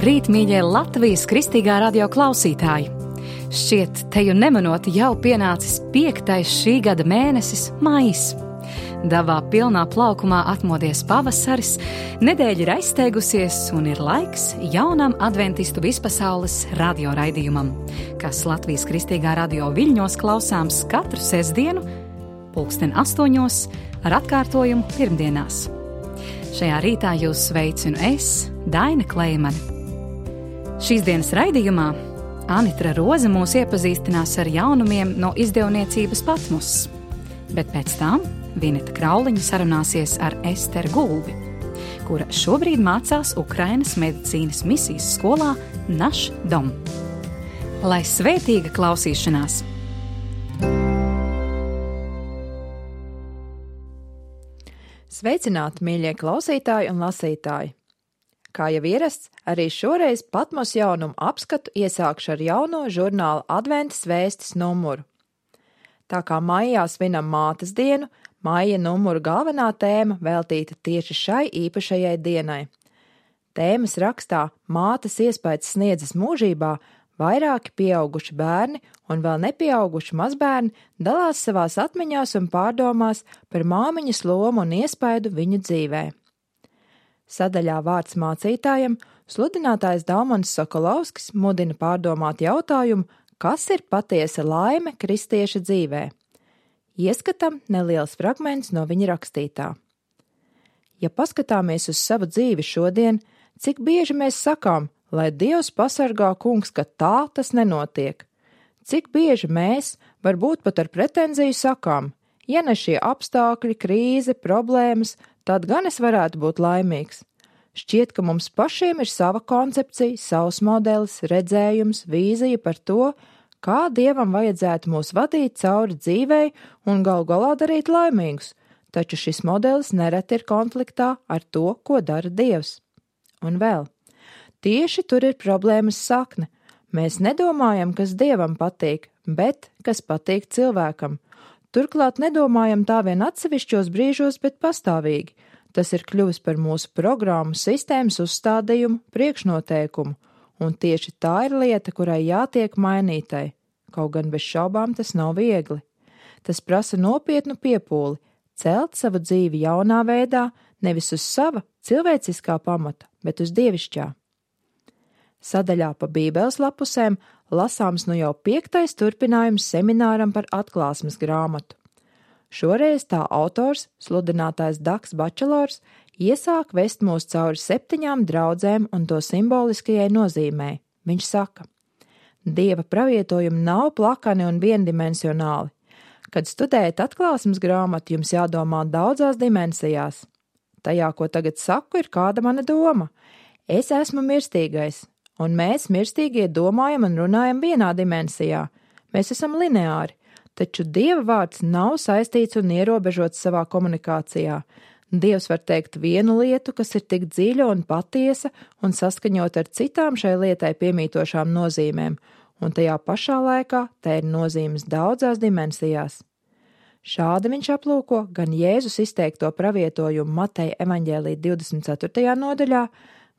Labrīt, mīļie Latvijas kristīgā radio klausītāji! Šķiet, teju nemanot jau pienācis 5. šī gada mēnesis, maijs. Davā pilnā plaukumā atmodies pavasaris, nedēļa ir aizsteigusies un ir laiks jaunam adventistu vispasaules radioraidījumam, kas Latvijas kristīgā radio viļņos klausāms katru sestdienu, 8:00 ar atkārtojumu pirmdienās. Šajā rītā jūs sveicinu es, Daina Kleimane. Šīs dienas raidījumā Anitra Roze mūs iepazīstinās ar jaunumiem no izdevniecības Patmos, bet pēc tam Vineta Krauliņa sarunāsies ar Esteru Gulbi, kura šobrīd mācās Ukrainas medicīnas misijas skolā Naš Dom. Lai svētīga klausīšanās! Sveicināti, mīļie klausītāji un lasītāji! Kā jau ierasts, arī šoreiz Patmos jaunumu apskatu iesākšu ar jauno žurnāla Adventas vēstis numuru. Tā kā maijā svinam mātes dienu, maija numuru galvenā tēma veltīta tieši šai īpašajai dienai. Tēmas rakstā Mātes iespaids sniedzas mūžībā vairāki pieauguši bērni un vēl nepieauguši mazbērni dalās savās atmiņās un pārdomās par māmiņas lomu un iespaidu viņu dzīvē. Sadaļā vārds mācītājam sludinātājs Daumans Sokolovskis mudina pārdomāt jautājumu, kas ir patiesa laime kristieša dzīvē. Ieskatam neliels fragments no viņa rakstītā. Ja paskatāmies uz savu dzīvi šodien, cik bieži mēs sakām, lai Dievs pasargā kungs, ka tā tas nenotiek? Cik bieži mēs, varbūt pat ar pretenziju sakām, ja ne šie apstākļi, krīze, problēmas, tad gan es varētu būt laimīgs. Šķiet, ka mums pašiem ir sava koncepcija, savs modelis, redzējums, vīzija par to, kā Dievam vajadzētu mūs vadīt cauri dzīvei un galu galā darīt laimīgus, taču šis modelis nereti ir konfliktā ar to, ko dara Dievs. Un vēl. Tieši tur ir problēmas sakne. Mēs nedomājam, kas Dievam patīk, bet kas patīk cilvēkam. Turklāt nedomājam tā vien atsevišķos brīžos, bet pastāvīgi. Tas ir kļuvis par mūsu programmu sistēmas uzstādījumu, priekšnoteikumu, un tieši tā ir lieta, kurai jātiek mainītai. Kaut gan bez šaubām tas nav viegli. Tas prasa nopietnu piepūli, celt savu dzīvi jaunā veidā, nevis uz sava cilvēciskā pamata, bet uz dievišķā. Sadaļā pa Bībeles lapusēm lasāms nu jau 5. turpinājums semināram par atklāsmes grāmatu. Šoreiz tā autors, sludinātājs Daks Bačelors, iesāk vest mūs cauri 7 draudzēm un to simboliskajai nozīmei. Viņš saka, Dieva pravietojumi nav plakani un viendimensionāli. Kad studējat atklāsmes grāmatu, jums jādomā daudzās dimensijās. Tajā, ko tagad saku, ir kāda mana doma. Es esmu mirstīgais. Un mēs, mirstīgie, domājam un runājam vienā dimensijā. Mēs esam lineāri, taču Dieva vārds nav saistīts un ierobežots savā komunikācijā. Dievs var teikt vienu lietu, kas ir tik dziļa un patiesa un saskaņot ar citām šai lietai piemītošām nozīmēm, un tajā pašā laikā te ir nozīmes daudzās dimensijās. Šādi viņš aplūko gan Jēzus izteikto pravietojumu Mateja evaņģēlija 24. nodaļā,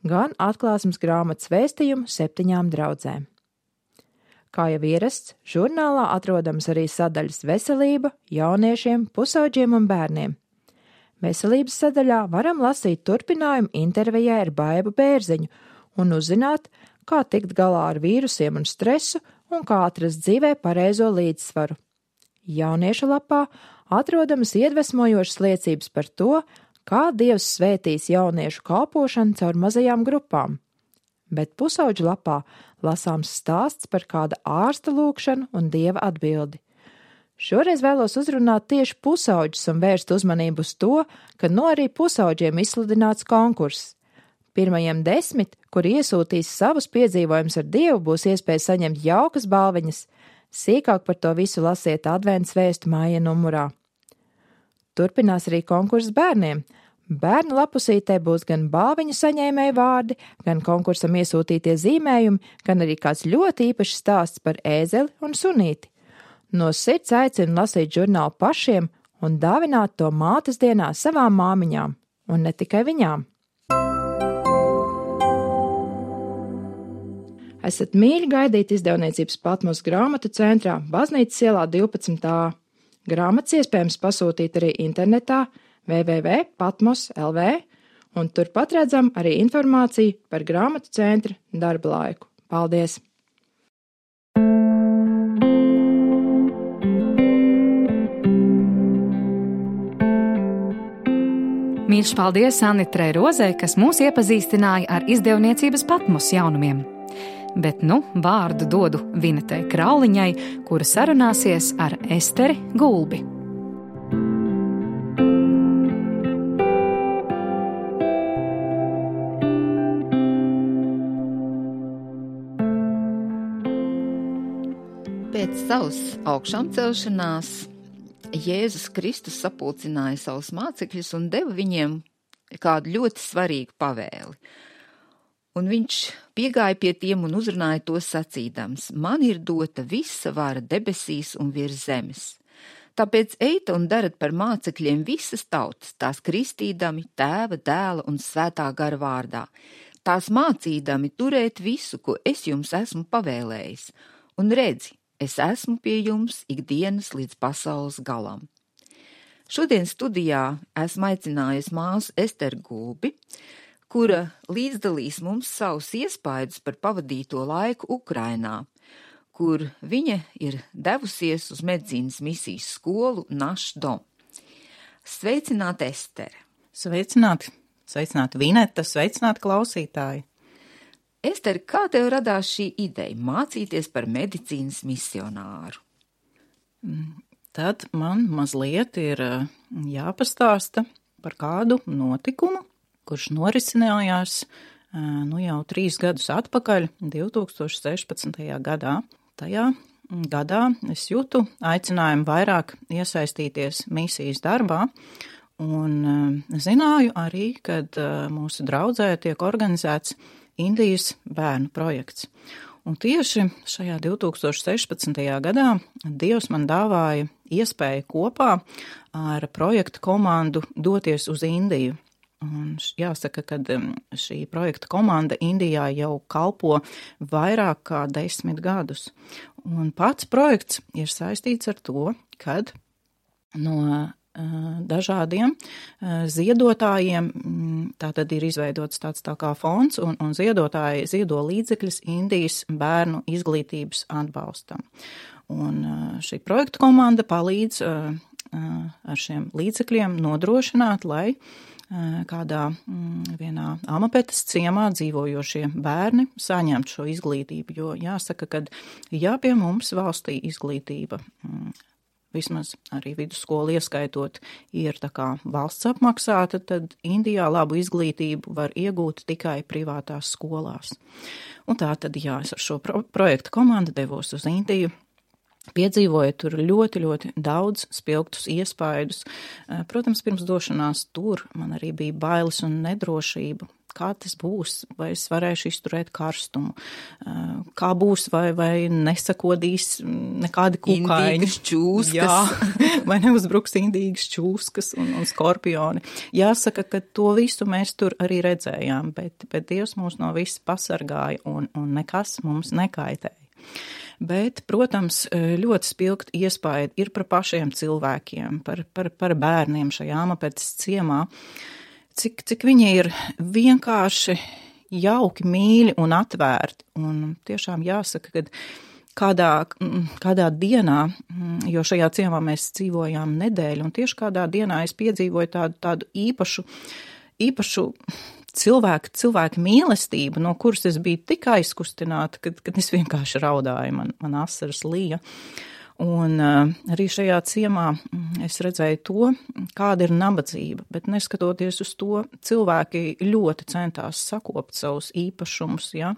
gan atklāsmes grāmatas vēstījumu 7 draudzēm. Kā jau ierasts, žurnālā atrodams arī sadaļas veselība, jauniešiem, pusauģiem un bērniem. Veselības sadaļā varam lasīt turpinājumu intervijai ar Baibu Bērziņu un uzzināt, kā tikt galā ar vīrusiem un stresu un kā atrast dzīvē pareizo līdzsvaru. Jauniešu lapā atrodamas iedvesmojošas liecības par to, kā Dievs svētīs jauniešu kalpošanu caur mazajām grupām. Bet pusauģu lapā lasāms stāsts par kāda ārsta lūgšanu un Dieva atbildi. Šoreiz vēlos uzrunāt tieši pusauģus un vērst uzmanību uz to, ka arī pusauģiem izsludināts konkurss. Pirmajiem 10, kuri iesūtīs savus piedzīvojumus ar Dievu, būs iespēja saņemt jaukas balviņas. Sīkāk par to visu lasiet Adventas vēstu maija numurā. Turpinās arī konkurss bērniem. Bērnu lapusītē būs gan balviņu saņēmēju vārdi, gan konkursam iesūtītie zīmējumi, gan arī kāds ļoti īpašs stāsts par ēzeli un sunīti. No sirds aicinu lasīt žurnālu pašiem un dāvināt to mātes dienā savām māmiņām, un ne tikai viņām. Esat mīļi gaidīt izdevniecības Patmos grāmatu centrā Baznīcas ielā 12a. Grāmatas iespējams pasūtīt arī internetā www.patmos.lv, un turpat redzam arī informāciju par grāmatu centra darba laiku. Paldies! Mīļš paldies Anitrei Rozei, kas mūs iepazīstināja ar izdevniecības Patmos jaunumiem. Bet vārdu dodu Vinetei Krauliņai, kura sarunāsies ar Esteri Gulbi. Pēc savas augšām celšanās Jēzus Kristus sapulcināja savus mācekļus un deva viņiem kādu ļoti svarīgu pavēli. Un viņš piegāja pie tiem un uzrunāja tos sacīdams: man ir dota visa vara debesīs un virs zemes. Tāpēc ejiet un darat par mācekļiem visas tautas, tās kristīdami Tēva, Dēla un Svētā gara vārdā, tās mācīdami turēt visu, ko es jums esmu pavēlējis, un redzi, es esmu pie jums ikdienas līdz pasaules galam. Šodien studijā esmu aicinājusi māsu Esteru Gulbi, kura līdzdalīs mums savus iespaidus par pavadīto laiku Ukrainā, kur viņa ir devusies uz medicīnas misijas skolu Našdom. Sveicināti, Estere! Sveicināti! Sveicināti, Vineta! Sveicināti, klausītāji! Ester, kā tev radās šī ideja mācīties par medicīnas misionāru? Tad man mazliet ir jāpastāsta par kādu notikumu, kurš norisinājās jau 3 gadus atpakaļ, 2016. gadā. Tajā gadā es jūtu aicinājumu vairāk iesaistīties misijas darbā, un zināju arī, kad mūsu draudzē tiek organizēts Indijas bērnu projekts. Un tieši šajā 2016. gadā Dievs man dāvāja iespēju kopā ar projekta komandu doties uz Indiju. Un jāsaka, ka šī projekta komanda Indijā jau kalpo vairāk kā 10 gadus. Un pats projekts ir saistīts ar to, kad no dažādiem ziedotājiem, tātad ir izveidots tāds tā kā fonds, un ziedotāji ziedo līdzekļus Indijas bērnu izglītības atbalstam. Un šī projekta komanda palīdz ar šiem līdzekļiem nodrošināt, lai kādā vienā Amapetas ciemā dzīvojošie bērni saņemtu šo izglītību, jo jāsaka, ka pie mums valstī izglītība vismaz arī vidusskolu ieskaitot, ir tā kā valsts apmaksāta, tad Indijā labu izglītību var iegūt tikai privātās skolās. Un tā tad, es ar šo projektu komandu devos uz Indiju, piedzīvoju tur ļoti, ļoti daudz spilgtus iespaidus. Protams, pirms došanās tur man arī bija bailes un nedrošība. Kā tas būs, vai es varēšu izturēt karstumu, kā būs, vai nesakodīs nekādi kukaiņi. Indīgas čūskas. Jā, vai neuzbruks indīgas čūskas un skorpioni. Jāsaka, ka to visu mēs tur arī redzējām, bet Dievs mūs no visa pasargāja un nekas mums nekaitēja. Bet, protams, ļoti spilgti iespaidi ir par pašiem cilvēkiem, par bērniem šajā Amapetas ciemā. Cik viņi ir vienkārši jauki, mīļi un atvērti. Un tiešām jāsaka, ka kādā dienā, jo šajā ciemā mēs dzīvojām nedēļu, un tieši kādā dienā es piedzīvoju tādu īpašu cilvēku mīlestību, no kuras es biju tik aizkustināta, kad es vienkārši raudāju, man asaras lija. Un arī šajā ciemā es redzēju to, kāda ir nabadzība, bet neskatoties uz to, cilvēki ļoti centās sakopt savus īpašumus, ja.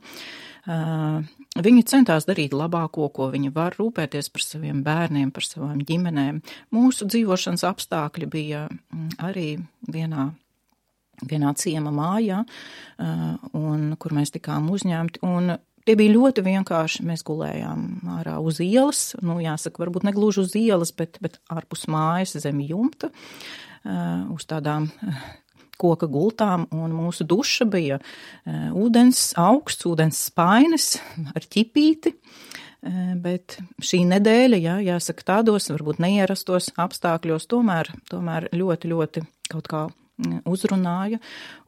Viņi centās darīt labāko, ko viņi var, rūpēties par saviem bērniem, par savām ģimenēm. Mūsu dzīvošanas apstākļi bija arī vienā ciema mājā, un kur mēs tikām uzņemti, un tie bija ļoti vienkārši. Mēs gulējām ārā uz ielas, jāsaka, varbūt negluži uz ielas, bet ārpus mājas zem jumta, uz tādām koka gultām, un mūsu duša bija augsts ūdens spainis ar ķipīti, bet šī nedēļa, jā, jāsaka tādos, varbūt neierastos apstākļos, tomēr ļoti, ļoti kaut kā uzrunāja,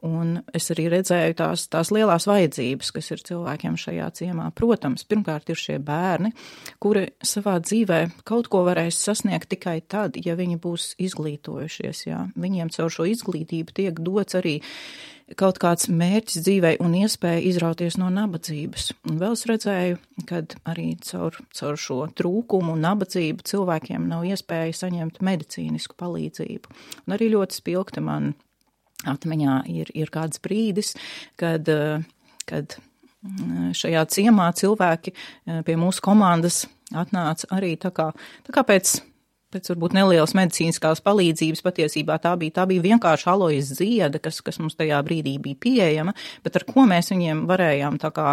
un es arī redzēju tās lielās vajadzības, kas ir cilvēkiem šajā ciemā. Protams, pirmkārt ir šie bērni, kuri savā dzīvē kaut ko varēs sasniegt tikai tad, ja viņi būs izglītojušies, jā. Viņiem caur šo izglītību tiek dots arī kaut kāds mērķis dzīvei un iespēja izrauties no nabadzības. Un vēl es redzēju, kad arī caur šo trūkumu un nabadzību cilvēkiem nav iespēja saņemt medicīnisku palīdzību. Un arī ļoti spilgti man atmiņā ir kāds brīdis, kad šajā ciemā cilvēki pie mūsu komandas atnāca arī tā kā pēc varbūt nelielas medicīniskās palīdzības, patiesībā tā bija vienkārši alojas zieda, kas mums tajā brīdī bija pieejama, bet ar ko mēs viņiem varējām tā kā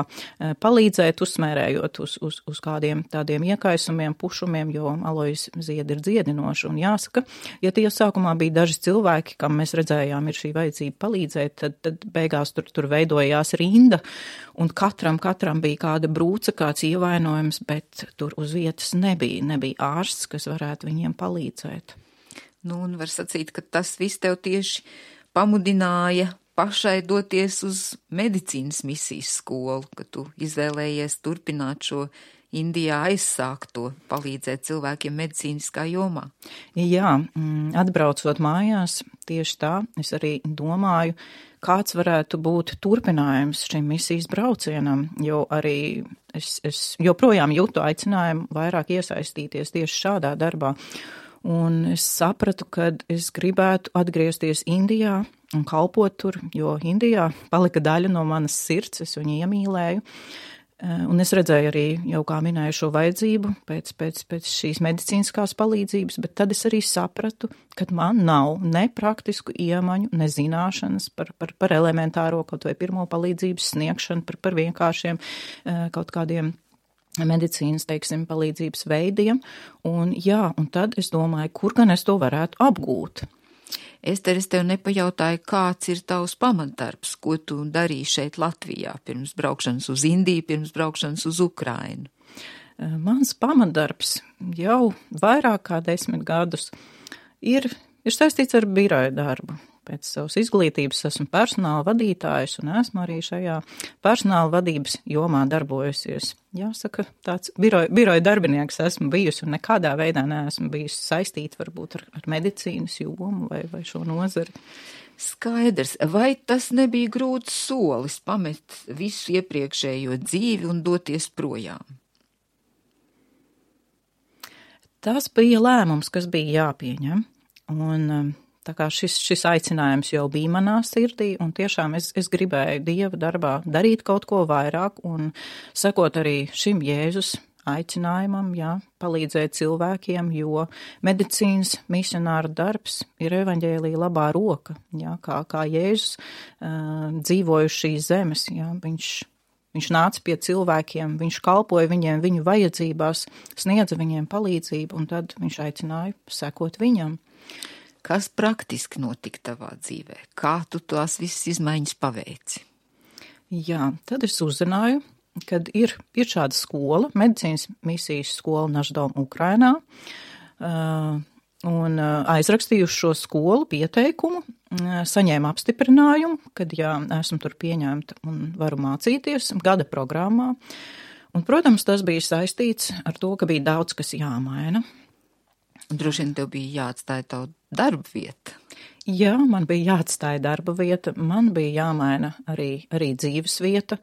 palīdzēt, uzsmērējot uz kādiem tādiem iekaisumiem, pušumiem, jo alojas zieda ir dziedinoša. Un jāsaka, ja tie sākumā bija daži cilvēki, kam mēs redzējām ir šī vajadzība palīdzēt, tad beigās tur veidojās rinda, un katram bija kāda brūce, kāds ievainojums, bet tur uz vietas nebija ārsts, kas varētu viņiem palīdzēt. Nu, un var sacīt, ka tas viss tev tieši pamudināja pašai doties uz medicīnas misijas skolu, ka tu izvēlējies turpināt šo Indijā aizsākto, palīdzēt cilvēkiem medicīniskā jomā. Jā, atbraucot mājās, tieši tā, es arī domāju, kāds varētu būt turpinājums šim misijas braucienam, jo arī es joprojām jūtu aicinājumu vairāk iesaistīties tieši šādā darbā. Un es sapratu, ka es gribētu atgriezties Indijā un kalpot tur, jo Indijā palika daļa no manas sirds, es viņu iemīlēju. Un es redzēju arī, jau kā minēju, šo vajadzību pēc šīs medicīniskās palīdzības, bet tad es arī sapratu, ka man nav ne praktisku iemaņu, ne zināšanas par elementāro kaut vai pirmo palīdzības sniegšanu, par vienkāršiem kaut kādiem medicīnas, teiksim, palīdzības veidiem. Un tad es domāju, kur gan es to varētu apgūt. Ester, es tev nepajautāju, kāds ir tavs pamatdarbs, ko tu darīji šeit Latvijā pirms braukšanas uz Indiju, pirms braukšanas uz Ukrainu? Mans pamatdarbs jau vairāk kā 10 gadus ir saistīts ar biroja darbu. Pēc savas izglītības esmu personāla vadītājs un esmu arī šajā personāla vadības jomā darbojusies. Jāsaka, tāds biroja darbinieks esmu bijusi un nekādā veidā neesmu bijusi saistīta varbūt ar medicīnas jomu vai šo nozari. Skaidrs, vai tas nebija grūts solis pamest visu iepriekšējo dzīvi un doties projām? Tas bija lēmums, kas bija jāpieņem, un tā kā šis aicinājums jau bija manā sirdī, un tiešām es gribēju Dieva darbā darīt kaut ko vairāk un sekot arī šim Jēzus aicinājumam, palīdzēt cilvēkiem, jo medicīnas misionāra darbs ir evaņģēlija labā roka, kā Jēzus dzīvoja uz šīs zemes, Viņš nāca pie cilvēkiem, viņš kalpoja viņiem viņu vajadzībās, sniedza viņiem palīdzību, un tad viņš aicināja sekot viņam. Kas praktiski notika tavā dzīvē? Kā tu tās visas izmaiņas paveici? Jā, tad es uzzināju, kad ir šāda skola, medicīnas misijas skola Naždom Ukrainā, un aizrakstīju šo skolu pieteikumu, saņēmu apstiprinājumu, kad esmu tur pieņemta un varu mācīties gada programmā. Un, protams, tas bija saistīts ar to, ka bija daudz, kas jāmaina. Droši vien tev bija jāatstāja tavu darba vieta. Jā, man bija jāatstāja darba vieta, man bija jāmaina arī dzīves vieta.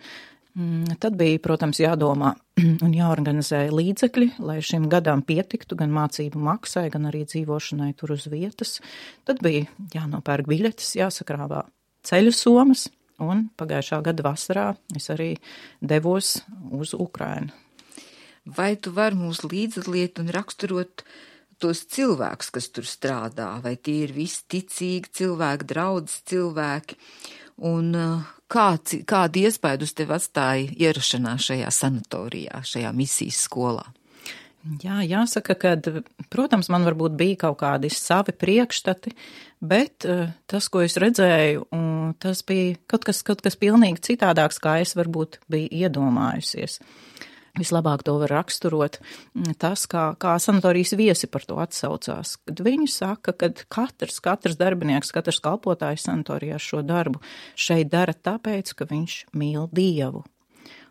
Tad bija, protams, jādomā un jāorganizē līdzekļi, lai šim gadam pietiktu gan mācību maksai, gan arī dzīvošanai tur uz vietas. Tad bija jānopērk biļetes, jāsakrāvā ceļu somas, un pagājušā gada vasarā es arī devos uz Ukrainu. Vai tu vari mūs līdzdalīt un raksturot tos cilvēkus, kas tur strādā, vai tie ir visi ticīgi cilvēki, draudzes cilvēki, un kādu iespaidu uz tevi atstāja ierašanās šajā sanatorijā, šajā misijas skolā? Jā, jāsaka, ka, protams, man varbūt bija kaut kādi savi priekšstati, bet tas, ko es redzēju, tas bija kaut kas pilnīgi citādāks, kā es varbūt biju iedomājusies. Vislabāk to var raksturot tas, kā sanatorijas viesi par to atsaucās. Kad viņi saka, ka katrs darbinieks, katrs kalpotājs sanatorijā šo darbu šeit dara tāpēc, ka viņš mīl Dievu.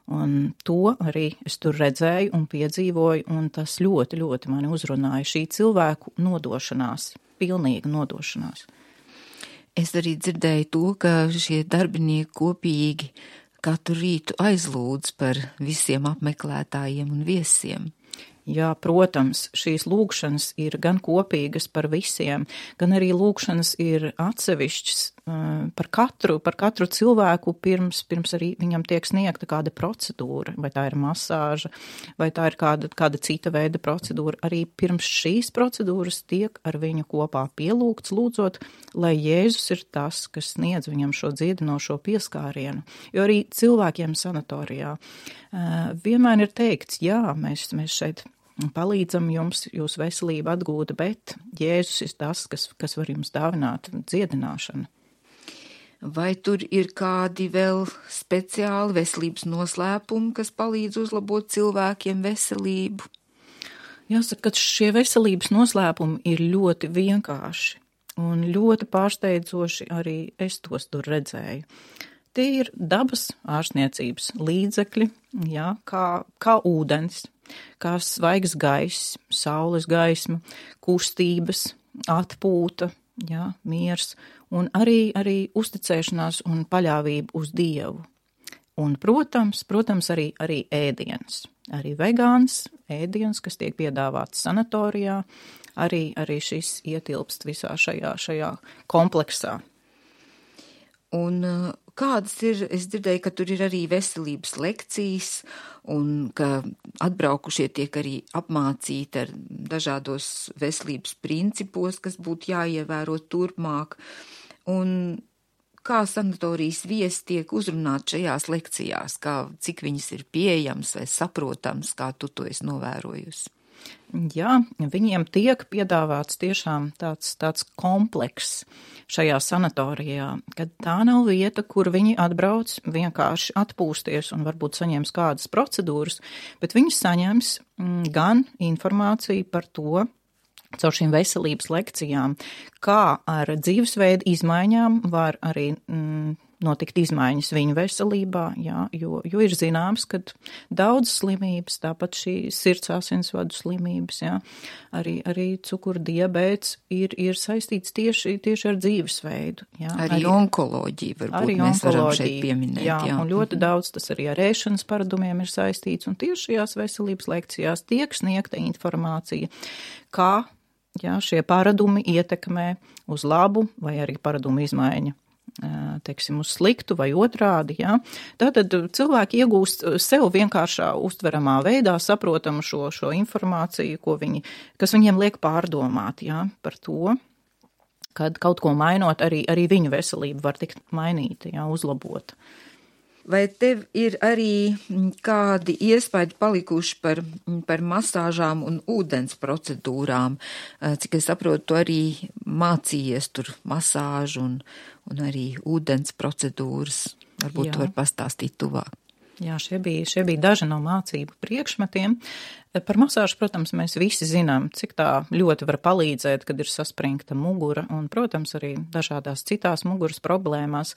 Un to arī es tur redzēju un piedzīvoju, un tas ļoti, ļoti mani uzrunāja šī cilvēku nodošanās, pilnīga nodošanās. Es arī dzirdēju to, ka šie darbinieki kopīgi katru rītu aizlūdz par visiem apmeklētājiem un viesiem. Jā, protams, šīs lūgšanas ir gan kopīgas par visiem, gan arī lūgšanas ir atsevišķas par katru cilvēku pirms arī viņam tiek sniegta kāda procedūra, vai tā ir masāža, vai tā ir kāda cita veida procedūra. Arī pirms šīs procedūras tiek ar viņu kopā pielūgts, lūdzot, lai Jēzus ir tas, kas sniedz viņam šo dziedinošo pieskārienu. Jo arī cilvēkiem sanatorijā vienmēr ir teikts, jā, mēs šeit palīdzam jums, jūsu veselību atgūt, bet Jēzus ir tas, kas var jums dāvināt dziedināšanu. Vai tur ir kādi vēl speciāli veselības noslēpumi, kas palīdz uzlabot cilvēkiem veselību? Jāsaka, ka šie veselības noslēpumi ir ļoti vienkārši un ļoti pārsteidzoši arī es tos tur redzēju. Tie ir dabas ārstniecības līdzekļi, jā, kā ūdens, kā svaigs gaiss, saules gaisma, kustības, atpūta, jā, miers un arī uzticēšanās un paļāvība uz Dievu. Un, protams, arī ēdiens. Arī vegāns ēdiens, kas tiek piedāvāts sanatorijā, arī šis ietilpst visā šajā kompleksā. Un kādas ir, es dzirdēju, ka tur ir arī veselības lekcijas un ka atbraukušie tiek arī apmācīti ar dažādos veselības principos, kas būtu jāievēro turpmāk. Un kā sanatorijas viesi tiek uzrunāti šajās lekcijās, cik viņas ir pieejams vai saprotams, kā tu to esi novērojusi? Jā, viņiem tiek piedāvāts tiešām tāds komplekss šajā sanatorijā, kad tā nav vieta, kur viņi atbrauc vienkārši atpūsties un varbūt saņems kādas procedūras, bet viņi saņems gan informāciju par to, caur šīm veselības lekcijām, kā ar dzīvesveidu izmaiņām var arī notikt izmaiņas viņu veselībā, jā, jo ir zināms, ka daudz slimības, tāpat šī sirds asinsvadu slimības, jā, arī cukurdiabēts ir saistīts tieši ar dzīvesveidu. Jā, arī onkoloģija varbūt mēs varam šeit pieminēt. Jā, un ļoti daudz tas arī ar ēšanas paradumiem ir saistīts, un tieši šajās veselības lekcijās tiek sniegta informācija, kā šie paradumi ietekmē uz labu vai arī paradumu izmaiņa. Teiksim, uz sliktu vai otrādi, jā. Tātad cilvēki iegūst sev vienkāršā uztveramā veidā saprotamu šo informāciju, kas viņiem liek pārdomāt, jā, par to, kad kaut ko mainot, arī viņu veselība var tikt mainīta, jā, uzlabota. Vai tev ir arī kādi iespaidi palikuši par masāžām un ūdens procedūrām? Cik es saprotu, tu arī mācījies tur masāžu un arī ūdens procedūras. Varbūt tu vari pastāstīt tuvāk. Jā, šie bija daži no mācību priekšmetiem. Par masāžu, protams, mēs visi zinām, cik tā ļoti var palīdzēt, kad ir saspringta mugura un, protams, arī dažādās citās muguras problēmās.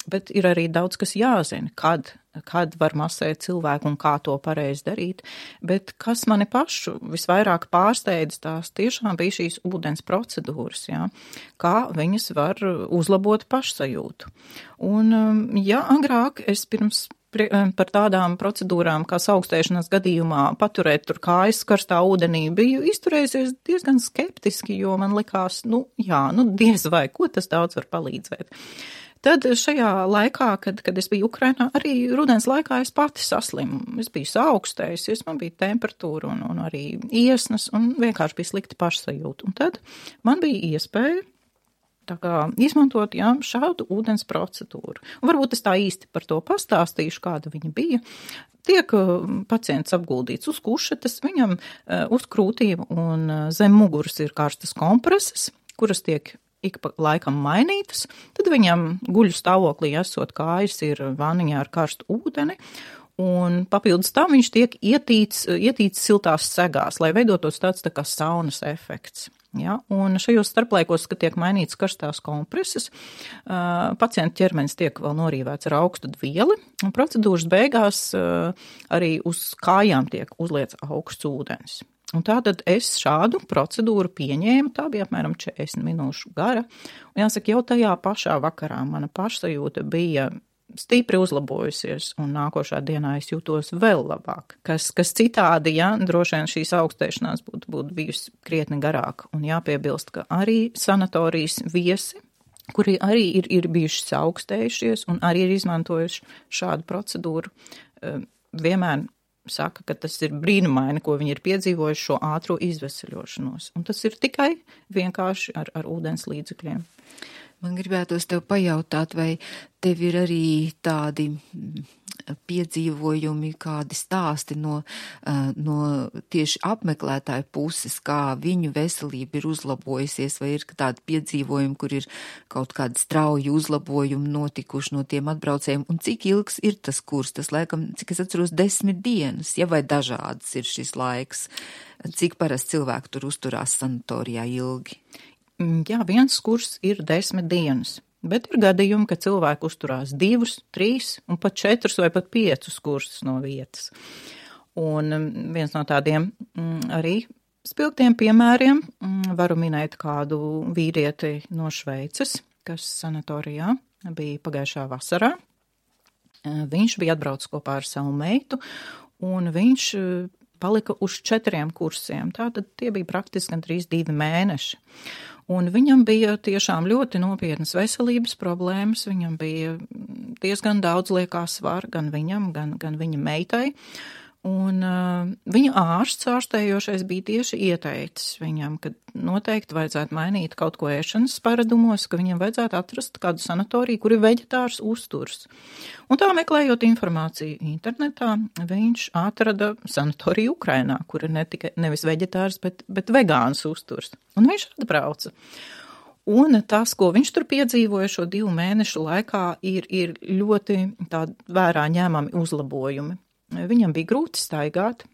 Bet ir arī daudz, kas jāzina, kad var masēt cilvēku un kā to pareizi darīt. Bet kas mani pašu visvairāk pārsteidz, tās tiešām bija šīs ūdens procedūras, jā, kā viņas var uzlabot pašsajūtu. Un, jā, agrāk es par tādām procedūrām, kā augstēšanās gadījumā paturēt tur kājas karstā ūdenī, biju izturējusies diezgan skeptiski, jo man likās, diez vai, ko tas daudz var palīdzēt. Tad šajā laikā, kad es biju Ukrainā, arī rudens laikā es pati saslimu. Es biju saaugstējusies, man bija temperatūra un arī iesnas un vienkārši bija slikti pašsajūta. Un tad man bija iespēja tā kā izmantot, šādu ūdens procedūru. Un varbūt es tā īsti par to pastāstīšu, kāda viņa bija. Tiek pacients apguldīts uz kušetes, viņam uz krūtīm un zem muguras ir karstas kompreses, kuras tiek ik pa laikam mainītas, tad viņam guļu stāvoklī esot kājas ir vaniņā ar karstu ūdeni, un papildus tam viņš tiek ietīts siltās segās, lai veidotos tāds tā kā saunas efekts. Ja? Un šajos starplaikos, kad tiek mainīts karstās kompreses, pacienta ķermenis tiek vēl norīvēts ar augstu dvieli, un procedūras beigās arī uz kājām tiek uzliets augsts ūdens. Un tātad es šādu procedūru pieņēmu, tā bija apmēram 40 minūšu gara, un jāsaka, jau tajā pašā vakarā mana pašsajūta bija stipri uzlabojusies, un nākošā dienā es jūtos vēl labāk. Kas citādi, droši vien šīs augstēšanās būtu bijusi krietni garāka, un jāpiebilst, ka arī sanatorijas viesi, kuri arī ir bijuši augstējušies un arī ir izmantojuši šādu procedūru, vienmēr saka, ka tas ir brīnumaini, ko viņi ir piedzīvojuši šo ātro izveseļošanos. Un tas ir tikai vienkārši ar ūdens līdzekļiem. Man gribētos tev pajautāt, vai tev ir arī tādi piedzīvojumi, kādi stāsti no tieši apmeklētāju puses, kā viņu veselība ir uzlabojusies, vai ir tādi piedzīvojumi, kur ir kaut kādi strauji uzlabojumi notikuši no tiem atbraucējiem, un cik ilgs ir tas kurs, tas laikam, cik es atceros, 10 dienas, vai dažādas ir šis laiks, cik parasti cilvēki tur uzturās sanatorijā ilgi? Jā, viens kurs ir 10 dienas, bet ir gadījumi, ka cilvēki uzturās 2, 3 un pat 4 vai pat 5 kursus no vietas. Un viens no tādiem arī spilgtiem piemēriem varu minēt kādu vīrieti no Šveices, kas sanatorijā bija pagājušā vasarā. Viņš bija atbraucis kopā ar savu meitu, un viņš palika uz 4 kursiem. Tātad tie bija praktiski gandrīz 2 mēneši. Un viņam bija tiešām ļoti nopietnas veselības problēmas, viņam bija diezgan daudz liekā svara gan viņam, gan viņa meitai. Un viņa ārstējošais bija tieši ieteicis viņam, ka noteikti vajadzētu mainīt kaut ko ēšanas paradumos, ka viņam vajadzētu atrast kādu sanatoriju, kur ir veģetārs uzturs. Un tā meklējot informāciju internetā, viņš atrada sanatoriju Ukrainā, kur ir nevis veģetārs, bet vegāns uzturs. Un viņš atbrauca. Un tas, ko viņš tur piedzīvoja šo 2 mēnešu laikā, ir ļoti vērā ņēmami uzlabojumi. Viņam bija grūti staigāt,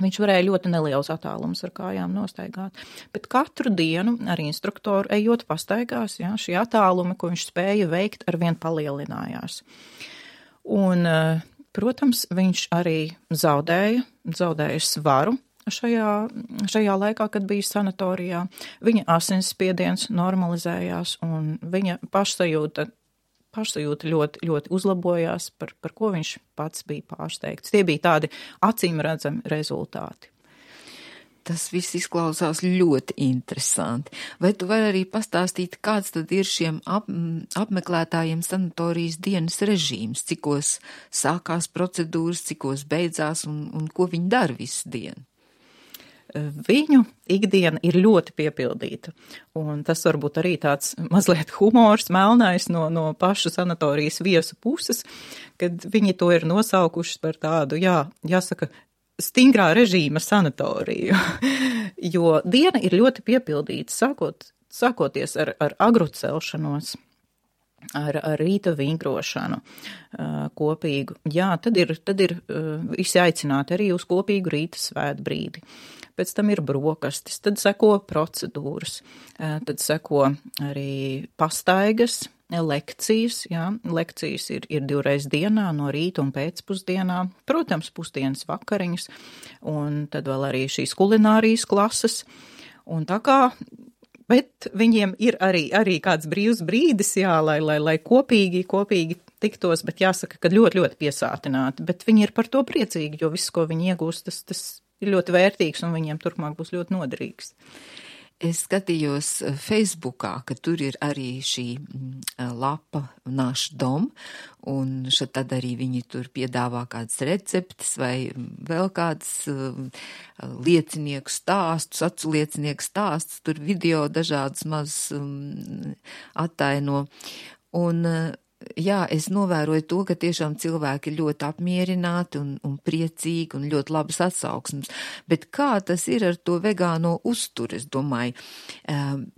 viņš varēja ļoti neliels attālums ar kājām nostaigāt, bet katru dienu ar instruktoru ejot pastaigās, šie attālumi, ko viņš spēja veikt, arvien palielinājās. Un, protams, viņš arī zaudēja svaru šajā laikā, kad bija sanatorijā. Viņa asinsspiediens normalizējās un viņa pašsajūta ļoti, ļoti uzlabojās, par ko viņš pats bija pārsteigts. Tie bija tādi acīm redzami rezultāti. Tas viss izklausās ļoti interesanti. Vai tu vari arī pastāstīt, kāds tad ir šiem apmeklētājiem sanatorijas dienas režīms, cikos sākās procedūras, cikos beidzās un ko viņi dara visu dienu? Viņu ikdiena ir ļoti piepildīta, un tas varbūt arī tāds mazliet humors, melnais no pašu sanatorijas viesu puses, kad viņi to ir nosaukuši par tādu, jāsaka, stingrā režīma sanatoriju, jo diena ir ļoti piepildīta, sākoties ar agru celšanos, ar rīta vingrošanu kopīgu. Jā, tad ir visi aicināti arī uz kopīgu rīta svētbrīdi. Pēc tam ir brokastis, tad seko procedūras, tad seko arī pastaigas, lekcijas. Jā. Lekcijas ir 2 reizes dienā, no rīta un pēcpusdienā, protams, pusdienas vakariņas, un tad vēl arī šīs kulinārijas klases. Un tā kā, bet viņiem ir arī kāds brīvs brīdis, lai kopīgi tiktos, bet jāsaka, ka ļoti, ļoti piesātināti, bet viņi ir par to priecīgi, jo viss, ko viņi iegūst, tas ir ļoti vērtīgs un viņiem turpmāk būs ļoti noderīgs. Es skatījos Facebookā, ka tur ir arī šī lapa Naš dom, un tad arī viņi tur piedāvā kādas receptes vai vēl kādas liecinieku stāstus, acu liecinieku stāstus, tur video dažādas maz attaino. Un jā, es novēroju to, ka tiešām cilvēki ir ļoti apmierināti un priecīgi un ļoti labas atsauksmes. Bet kā tas ir ar to vegāno uzturu, es domāju,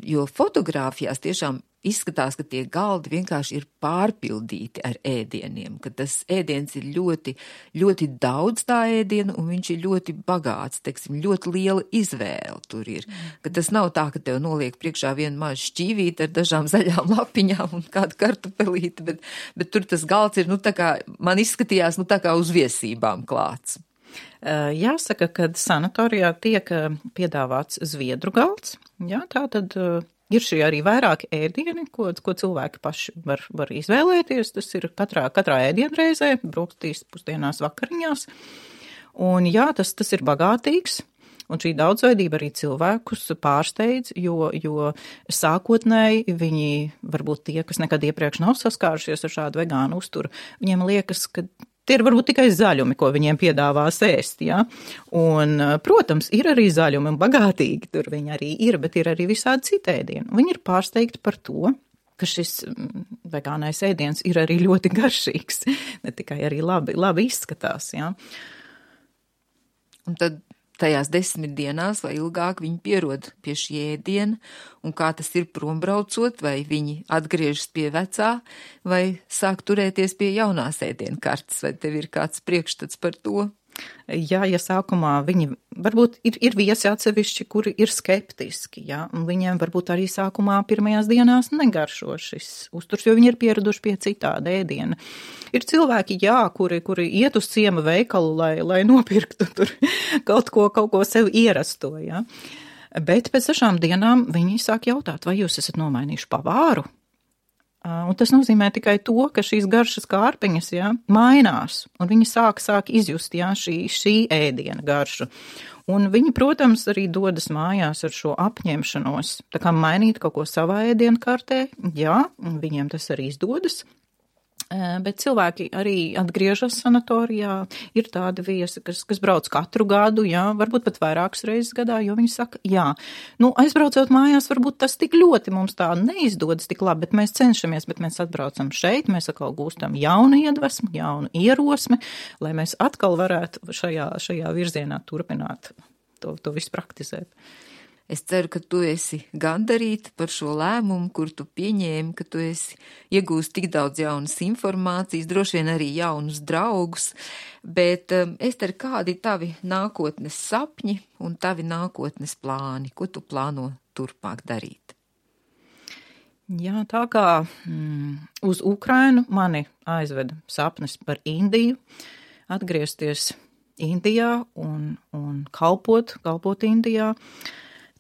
jo fotogrāfijās tiešām izskatās, ka tie galdi vienkārši ir pārpildīti ar ēdieniem, ka tas ēdiens ir ļoti, ļoti daudz tā ēdienu un viņš ir ļoti bagāts, teiksim, ļoti liela izvēle tur ir. Ka tas nav tā, ka tev noliek priekšā vienu mazu šķīvīti ar dažām zaļām lapiņām un kādu kartupelīti, bet tur tas galds ir, tā kā, man izskatījās, tā kā uz viesībām klāts. Jāsaka, ka sanatorijā tiek piedāvāts zviedru galds, jā, tā tad ir šī arī vairāki ēdieni, ko cilvēki paši var izvēlēties. Tas ir katrā ēdienreizē, brokastīs, pusdienās, vakariņās. Un jā, tas ir bagātīgs. Un šī daudzveidība arī cilvēkus pārsteidz, jo sākotnēji viņi, varbūt tie, kas nekad iepriekš nav saskārušies ar šādu vegānu uzturu, viņiem liekas, ka tie ir varbūt tikai zaļumi, ko viņiem piedāvās ēst, jā. Un, protams, ir arī zaļumi un bagātīgi, tur viņi arī ir, bet ir arī visādi citi ēdieni. Viņi ir pārsteigti par to, ka šis vegānais ēdiens ir arī ļoti garšīgs, ne tikai arī labi izskatās, jā. Un tad tajās 10 dienās vai ilgāk viņi pierod pie šī ēdiena, un kā tas ir prombraucot, vai viņi atgriežas pie vecā, vai sāk turēties pie jaunās ēdienu kartes, vai tev ir kāds priekšstats par to? Jā, ja sākumā viņi varbūt ir viesi atsevišķi, kuri ir skeptiski, jā, un viņiem varbūt arī sākumā pirmajās dienās negaršo šis uzturs, jo viņi ir pieraduši pie citāda ēdiena. Ir cilvēki, jā, kuri iet uz ciema veikalu, lai nopirktu tur kaut ko sev ierasto, jā. Bet pēc 6 dienām viņi sāk jautāt, vai jūs esat nomainījuši pavāru? Un tas nozīmē tikai to, ka šīs garšas kārpiņas, jā, mainās, un viņi sāk izjust, jā, šī ēdiena garšu. Un viņi, protams, arī dodas mājās ar šo apņemšanos, tā kā mainīt kaut ko savā ēdienu kārtē, jā, viņiem tas arī izdodas. Bet cilvēki arī atgriežas sanatorijā, ir tādi viesi, kas brauc katru gadu, jā, varbūt pat vairākas reizes gadā, jo viņi saka, jā, aizbraucot mājās, varbūt tas tik ļoti mums tā neizdodas tik labi, bet mēs cenšamies, bet mēs atbraucam šeit, mēs atkal gūstam jaunu iedvesmu, jaunu ierosmi, lai mēs atkal varētu šajā virzienā turpināt to visu praktizēt. Es ceru, ka tu esi gandarīta par šo lēmumu, kur tu pieņēmi, ka tu esi iegūst tik daudz jaunas informācijas, droši vien arī jaunus draugus, bet Ester, kādi tavi nākotnes sapņi un tavi nākotnes plāni? Ko tu plāno turpmāk darīt? Jā, tā kā uz Ukrainu mani aizveda sapnis par Indiju, atgriezties Indijā un kalpot Indijā.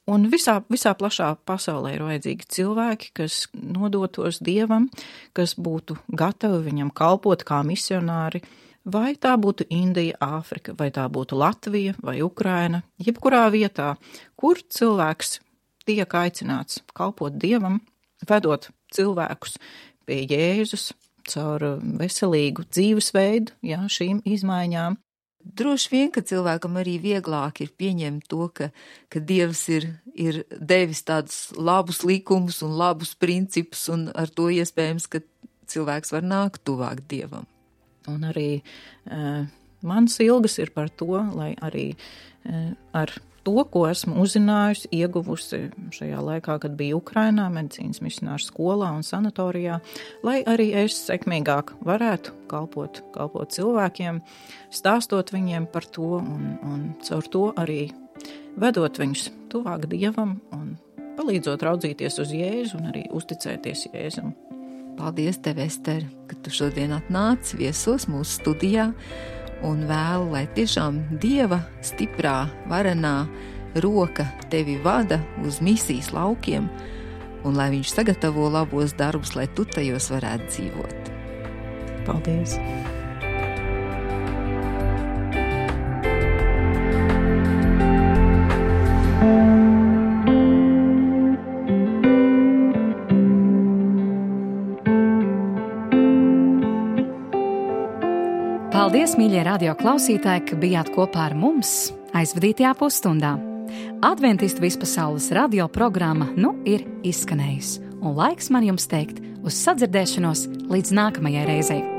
Un visā plašā pasaulē ir vajadzīgi cilvēki, kas nodotos Dievam, kas būtu gatavi viņam kalpot kā misionāri, vai tā būtu Indija, Āfrika, vai tā būtu Latvija vai Ukraina, jebkurā vietā, kur cilvēks tiek aicināts kalpot Dievam, vedot cilvēkus pie Jēzus caur veselīgu dzīvesveidu, jā, šīm izmaiņām. Droši vien, ka cilvēkam arī vieglāk ir pieņemt to, ka Dievs ir devis tādus labus likumus un labus principus, un ar to iespējams, ka cilvēks var nākt tuvāk Dievam. Un arī mans ilgas ir par to, lai arī ar to, ko esmu uzzinājusi, ieguvusi šajā laikā, kad biju Ukrainā, medicīnas misionāru skolā un sanatorijā, lai arī es sekmīgāk varētu kalpot cilvēkiem, stāstot viņiem par to un caur to arī vedot viņus tuvāk Dievam un palīdzot raudzīties uz Jēzu un arī uzticēties Jēzum. Paldies tev, Ester, ka tu šodien atnāc viesos mūsu studijā, un vēlu, lai tiešām Dieva stiprā, varenā roka tevi vada uz misijas laukiem, un lai viņš sagatavo labos darbus, lai tu tajos varētu dzīvot. Paldies! Paldies, mīļie radio klausītāji, ka bijāt kopā ar mums aizvadītajā pusstundā. Adventistu vispasaules radio programma ir izskanējusi, un laiks man jums teikt uz sadzirdēšanos līdz nākamajai reizei.